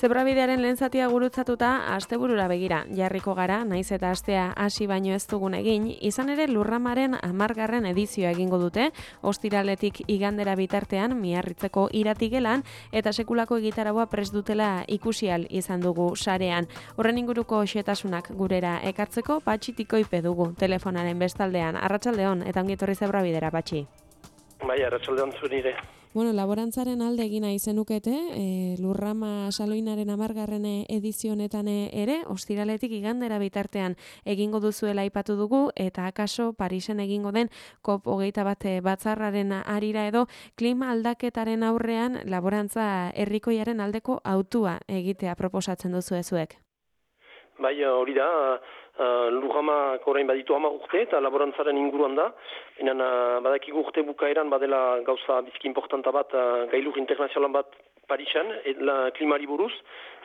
Zebrabidearen lehen zatia gurutzatuta asteburura begira jarriko gara, naiz eta astea hasi baino ez dugun egin, izan ere Lurramaren 10. edizioa egingo dute, ostiraletik igandera bitartean Miarritzeko iratigelan eta sekulako egitaraua prest dutela ikusial izan dugu sarean. Horren inguruko xetasunak gurera ekartzeko Patxitiko ipe dugu telefonaren bestaldean. Arratsaldeon eta ongi etorri Zebrabidera, Patxi. Bai, arratsaldeon zure. Bueno, laborantzaren alde egina izenukete, Lurrama Saloinaren 10. edizio honetan ere, ostiraletik igandera bitartean egingo duzuela aipatu dugu, eta akaso Parisen egingo den COP21 batzarraren arira edo klima aldaketaren aurrean laborantza herrikoiaren aldeko hautua egitea proposatzen duzu ezuek. Bai, hori da, Lurramak orain baditu 10 urte eta laborantzaren inguruan da. Badakigu urte bukaeran badela gauza bizki importanta bat, gailur internazionalan bat Parisen, klimari buruz,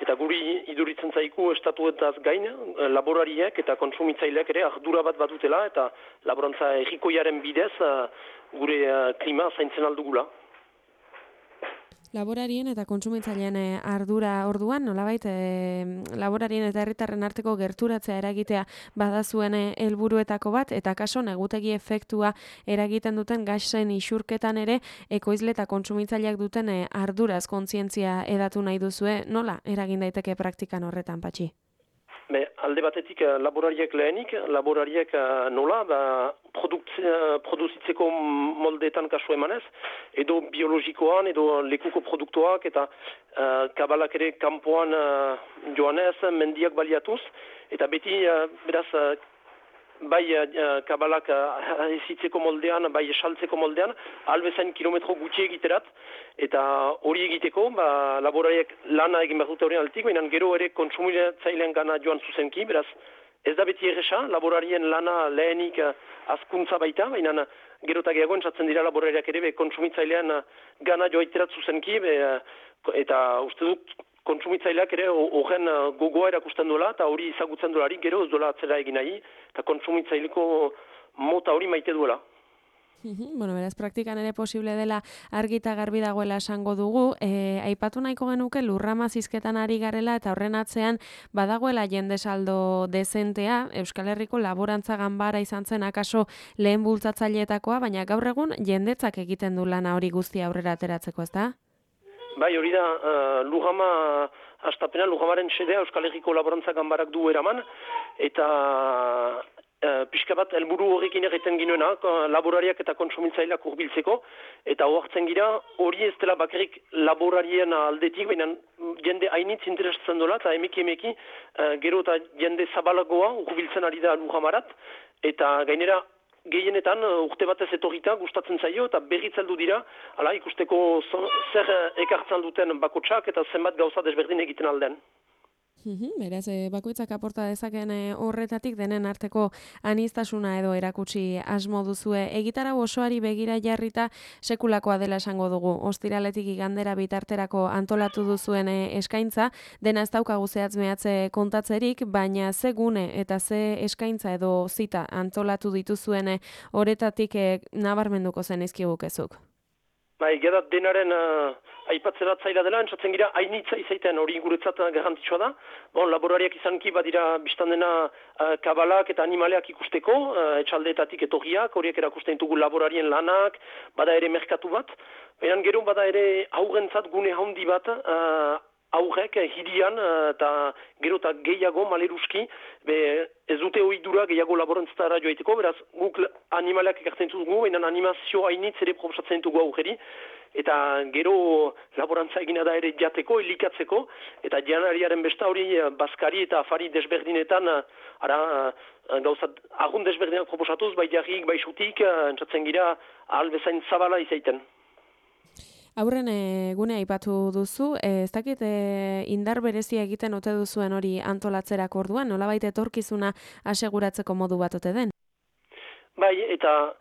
eta guri iduritzen zaiku estatuetaz gain, laborariek eta kontsumitzaileak ere ardura bat badutela, eta laborantza herrikoiaren bidez gure klima zaintzen aldugula. Laborarien eta kontsumitzaileen ardura orduan, nolabait laborarien eta herritarren arteko gerturatzea eragitea badazuen helburuetako bat, eta kaso negutegi efektua eragiten duten gasen isurketan ere ekoizle eta kontsumitzaileak duten arduraz kontzientzia edatu nahi duzue, nola eragin daiteke praktikan horretan, Patxi? Alde batetik laborariek lehenik, laborariek nola, produzitzeko moldeetan kasu emanez, edo biologikoan, edo lekuko produktuak, eta kabalak ere kanpoan joanez, mendiak baliatuz, eta beti, beraz, bai kabalak ezitzeko moldean, bai esaltzeko moldean, albezain kilometro gutxi egiterat, eta hori egiteko, laborariek lana egin behar dute horien altik, baina gero ere kontsumitzailean gana joan zuzenki, beraz, ez da beti erresa, laborarien lana lehenik azkuntza baita, baina gero eta gehiago entzatzen dira laborariak ere kontsumitzailean gana joaiterat zuzenki, eta uste dut, kontsumitzaileak ere horren gogoa erakusten duela, eta hori izagutzen duelari gero ez duela atzera egin nahi, eta kontsumitzaileko mota hori maite duela. Bueno, beraz, praktikan ere posible dela argi eta garbi dagoela esango dugu. Aipatu nahiko genuke Lurrama zizketan ari garela eta horren atzean badagoela jende saldo dezentea, Euskal Herriko laborantza ganbara izan zen akaso lehen bultzatzaileetakoa, baina gaur egun jendetzak egiten du lana hori guztia aurrera ateratzeko, ez da? Bai, hori da, Lurrama, hastapena Lurramaren xedea Euskal Herriko laborantza ganbarak du eraman, eta pixka bat helburu horrekin egiten ginoena, laborariak eta kontsumitzaileak hurbiltzeko, eta ohartzen gira hori ez dela bakarrik laborarien aldetik, baina jende hainitz interesatzen dola, eta emeki gero eta jende zabalagoa hurbiltzen ari da Lurramarat, eta gainera gehienetan urte batez etorrita gustatzen zaio eta berritzeldu dira, hala ikusteko zer ekartzen duten bakotsak eta zenbat gauza desberdin egiten aldean. Beraz, bakoitzak aporta dezaken horretatik denen arteko aniztasuna edo erakutsi asmo duzue. Egitarau osoari begira jarrita sekulakoa dela esango dugu. Ostiraletik igandera bitarterako antolatu duzuen eskaintza, dena ez daukagu zehatz mehatze kontatzerik, baina ze gune eta ze eskaintza edo zita antolatu dituzuen horretatik nabarmenduko zen izkigukezuk. Geda denaren aipatzeratzaila dela, entzatzen gira hainitza izaiten hori guretzat garrantzitsua da. Laborariak izanki badira biztan dena kabalak eta animaleak ikusteko, etxaldeetatik etorriak, horiek erakusten ditugu laborarien lanak, bada ere merkatu bat. Baina gero bada ere aurrentzat gune handi bat, aurrek hirian eta gero eta gehiago maleruski, ez dute ohidura gehiago laborantzatara joaiteko, beraz guk animaleak ekartzen ditugu, baina animazio hainitz ere proposatzen ditugu aurreri, eta gero laborantza egina da ere jateko, elikatzeko, eta janariaren besta hori bazkari eta afari desberdinetan, gauzat agun desberdinak proposatuz, bai jarrik, bai xutik, entzatzen gira ahal bezain zabala izaiten. Aurren gune aipatu duzu, ez dakit indar berezia egiten ote duzuen hori antolatzerak orduan, nolabait etorkizuna aseguratzeko modu bat ote den? Bai, eta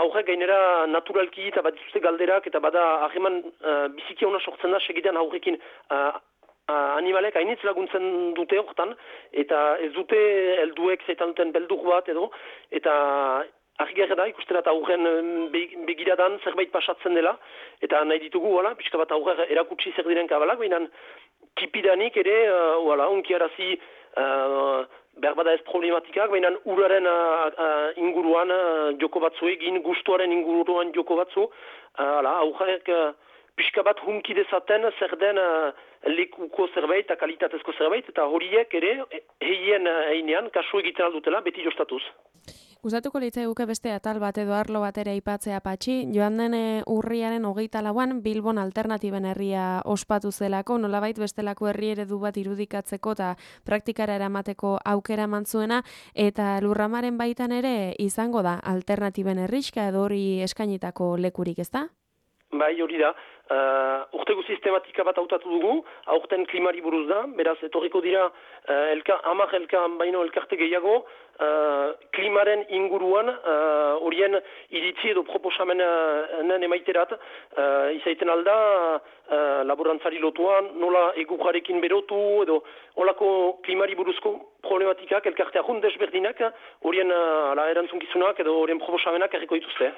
aurrek gainera naturalki eta bat dituzte galderak, eta bada hageman biziki hona sortzen da segidean aurrekin animalek hainitz laguntzen dute hortan, eta ez dute helduek zaitan duten beldur bat edo, eta argiak da, ikustera eta aurren begiradan zerbait pasatzen dela, eta nahi ditugu, pixka bat aurrer erakutsi zer diren kabalak, baina tipidanik ere, unkiarazi berbada ez problematikak, baina uraren inguruan joko batzu egin, gustuaren inguruan joko batzu, aurrek pixka bat hunki dezaten zer den lekuko zerbait eta kalitatezko zerbait, eta horiek ere heien heinean kasu egiten aldutela beti jostatuz. Gustatuko litzaiguke beste atal bat edo arlo bat ere aipatzea Patxi, joan den urriaren 24an Bilbon alternatiben herria ospatu zelako, nolabait bestelako herri eredu bat irudikatzeko eta praktikara eramateko aukera mantzuena, eta Lurramaren baitan ere izango da alternatiben herrixka edo hori eskainitako lekurik, ezta? Bai, hori da. Urtego sistematika bat hautatu dugu, aurten klimari buruz da, beraz, etorriko dira 10 baino elkarte gehiago, klimaren inguruan horien iritzi edo proposamenen emaiterat, izaiten alda laborantzari lotuan, nola egurrarekin berotu, edo olako klimari buruzko problematikak, elkarte ahun desberdinak, horien erantzunkizunak edo horien proposamenak erriko dituzte.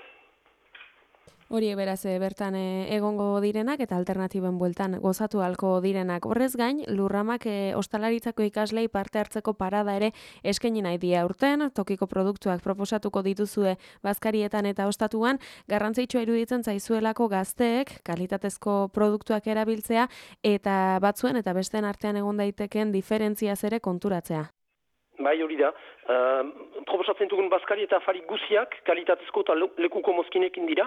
Horiek beraz bertan egongo direnak eta alternatiben bueltan gozatu halko direnak. Horrez gain, Lurramak ostalaritzako ikaslei parte hartzeko parada ere eskaini nahi die aurten, tokiko produktuak proposatuko dituzue bazkarietan eta ostatuan, garrantzitsua iruditzen zaizuelako gazteek kalitatezko produktuak erabiltzea eta batzuen eta besteen artean egon daiteken diferentziaz ere konturatzea. Bai, hori da. Proposatzen dugun bazkari eta afari guziak kalitatezko eta lekuko mozkinekin dira,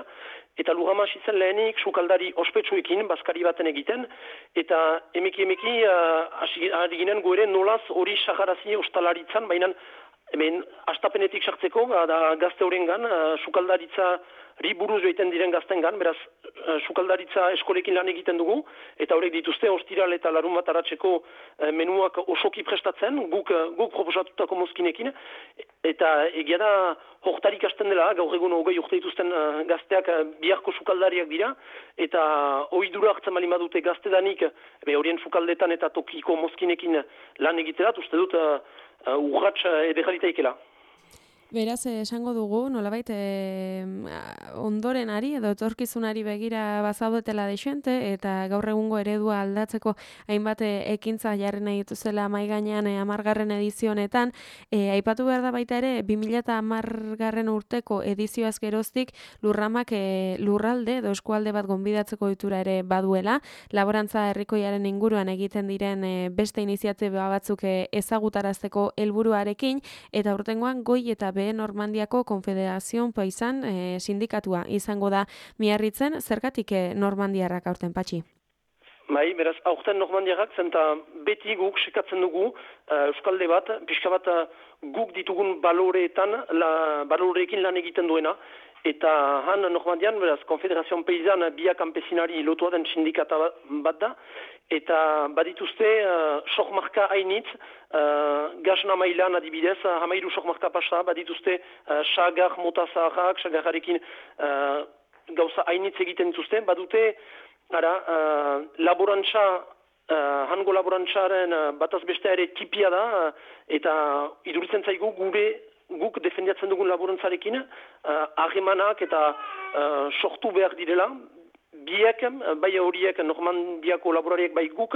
eta Lurrama hasi zen lehenik sukaldari ospetsuekin bazkari baten egiten, eta emeki ari ginen goere nolaz hori sagarazi ostalaritzan, baina hemen astapenetik sartzeko da gazte horrengan, sukaldaritzari buruz joiten diren gaztengan, beraz sukaldaritza eskolekin lan egiten dugu, eta horrek dituzte ostiral eta larun bat aratzeko menuak osoki prestatzen, guk proposatutako mozkinekin, eta egia da hortarik hasten dela, gaur egun 20 urte dituzten gazteak biharko sukaldariak dira, eta ohidura hartzen bali badute gaztedanik, horien sukaldetan eta tokiko mozkinekin lan egiterat, uste dut urratx ederralitaikela. Beraz, esango dugu, nolabait, ondorenari edo etorkizunari begira bazaudetela deixente, eta gaur egungo eredua aldatzeko hainbat ekintza jarri nahi dituzela mahai gainean 10. edizionetan. Aipatu behar da baita ere, 2010 urteko edizioaz geroztik Lurramak lurralde edo eskualde bat gonbidatzeko ohitura ere baduela, laborantza herrikoiaren inguruan egiten diren beste iniziatiba batzuk ezagutarazteko helburuarekin, eta urtengoan goi eta Normandiako Konfederazion Paisan sindikatua izango da miarritzen, zergatik normandiarrak aurten Patxi? Bai, beraz, aurten normandiarrak zenta beti guk sekatzen dugu euskalde bat, pixka bat guk ditugun baloreekin lan egiten duena, eta han Normandian, beraz, Konfederazion Paisan biak kanpesinari lotua den sindikata bat da, eta badituzte sokmarka hainitz, gasna mailan adibidez, 13 sokmarka pasa, badituzte sagar mota zaharrak, sagarrarekin gauza hainitz egiten dituzte, badute laborantza, hango laborantzaren bataz bestea ere tipia da, eta iduritzen zaigu guk defendiatzen dugun laborantzarekin, harremanak eta sortu behar direla, biek, bai horiek Normandiako laborariek bai guk,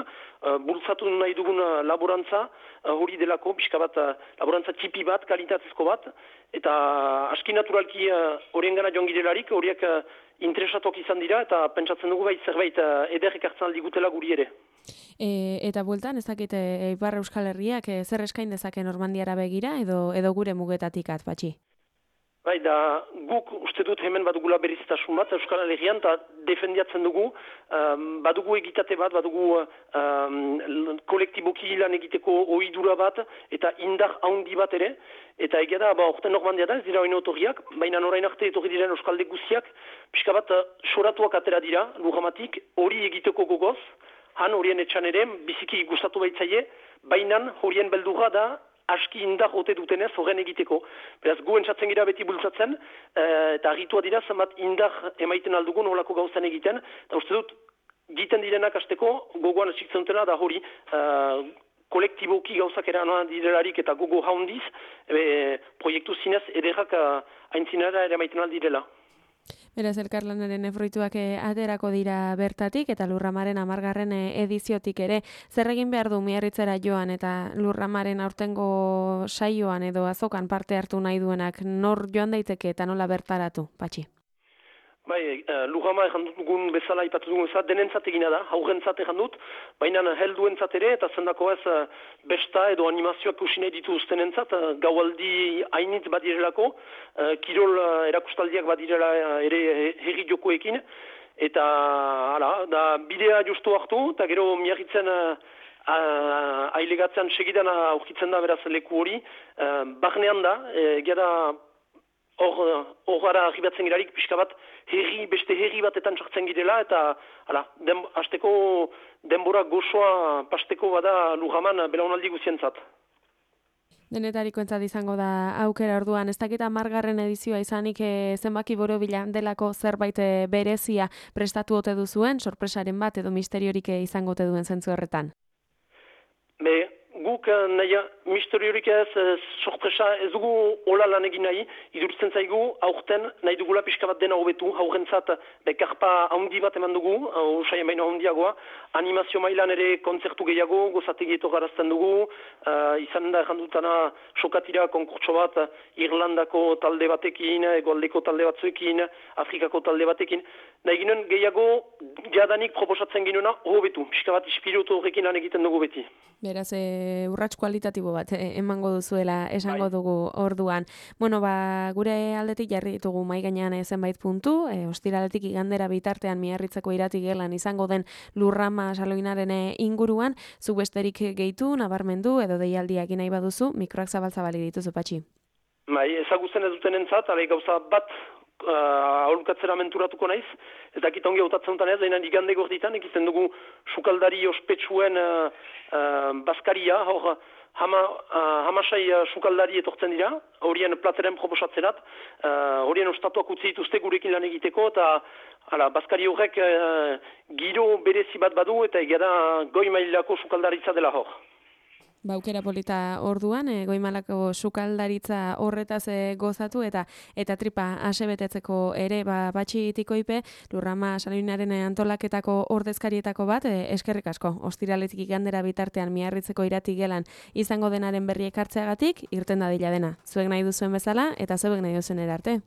bultzatu nahi dugun laborantza, hori delako, pixka bat, laborantza tipi bat, kalitatezko bat, eta aski naturalki horien gana joan girelarik, horiek interesatok izan dira, eta pentsatzen dugu bai zerbait ederrek hartzen aldigutela guri ere. Eta bueltan, ez dakit Ipar Euskal Herriak zer eskain dezake Normandiara begira, edo gure mugetatik Patxi? Bai, da guk uste dut hemen badugula berizitasun bat, Euskal Herrian, eta defendiatzen dugu, badugu egitate bat, badugu kolektiboki lan egiteko ohidura bat, eta indar haundi bat ere, eta egia da, orten Normandia da, ez dira oino otorriak, baina orain arte etorri diren Euskalde guziak, pixka bat soratuak atera dira, Lurramatik, hori egiteko gogoz, han horien etxan ere, biziki gustatu baitzaie, baina horien beldurra da, aski indar ote dutenez horren egiteko. Beraz, gu entzatzen gira beti bultzatzen, eta argitua dira, zenbat indar emaiten aldugun holako gauzan egiten, eta uste dut, egiten direnak hasteko gogoan esiktzen dutena da hori, kolektiboki gauzak eranan direlarik eta gogo haundiz, proiektu zinez ederrak aintzinara ere emaiten aldirela. Beraz, elkarlanaren fruituak aterako dira bertatik eta Lurramaren 10. Ediziotik ere. Zer egin behar du Miarritzera joan eta Lurramaren aurtengo saioan edo azokan parte hartu nahi duenak nor joan daiteke eta nola bertaratu, Patxi? Bai, Lurrama ejan dugun bezala, ipatu dugun bezala, denentzat egina da, haurrentzat ejan dut, baina helduentzat ere, eta zendako ez besta edo animazioak usine dituztenentzat, gaualdi hainitz badirelako, kirol erakustaldiak badirela ere herri jokoekin, eta da bidea justu hartu, eta gero Miarritzen ailegatzean segidan aurkitzen da beraz leku hori, barnean da, egia hor gara arribatzen girarik pixka bat beste herri batetan sartzen girela eta hasteko denbora gozoa pasteko bada Lurraman belaunaldi guzientzat. Denetarikoentzat izango da aukera orduan, ez dakit 10. edizioa izanik zenbaki borobila delako zerbait berezia prestatu ote duzuen, sorpresaren bat edo misteriorik izango ote duen zentzu horretan? Guk misteriorik ez, sorpresa ez dugu hola lan egin nahi, idurtzen zaigu aurten nahi dugula pixka bat dena hobetu, aurrentzat karpa handi bat eman dugu, usaien baina handiagoa, animazio mailan ere kontzertu gehiago, gozategieto garazten dugu, izan da errandutana sokatira konkurtso bat Irlandako talde batekin, Egoaldeko talde batzuekin, Afrikako talde batekin, nahi ginen gehiago jadanik proposatzen ginuna hobetu, pixka bat ispiritu horrekin lan egiten dugu beti. Beraz, urrats kualitatibo bat emango duzuela esango dugu orduan. Bueno, gure aldetik jarri ditugu mahai gainean zenbait puntu, ostiraletik igandera bitartean Miarritzeko irati gelan izango den Lurrama saloinaren inguruan, zu besterik gehitu, nabarmendu edo deialdiak nahi baduzu, mikroak zabal-zabali dituzu, Patxi. Ezagutzen ez duten entzat, gauza bat aholkatzera menturatuko naiz, ez dakit ongi hautatzen duten ez, dainan igande gorditan, egiten dugu sukaldari ospetsuen bazkaria, hor hamasai sukaldari etortzen dira, horien plateren proposatzerat, horien ostatuak utzi dituzte gurekin lan egiteko, eta bazkari horrek giro berezi bat badu, eta egera goi mailako sukaldaritza dela hor. Aukera polita orduan, goimalako sukaldaritza horretaz gozatu eta tripa asebetetzeko ere Patxi Tikoipe, Lurrama saloinaren antolaketako ordezkarietako bat, eskerrik asko, ostiraletik igandera bitartean Miarritzeko irati gelan izango denaren berri ekartzeagatik, irten dadila dena. Zuek nahi duzuen bezala eta zuek nahi duzen erarte.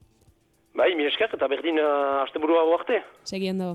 Bai, mi esker eta berdin asteburua arte. Segiendo.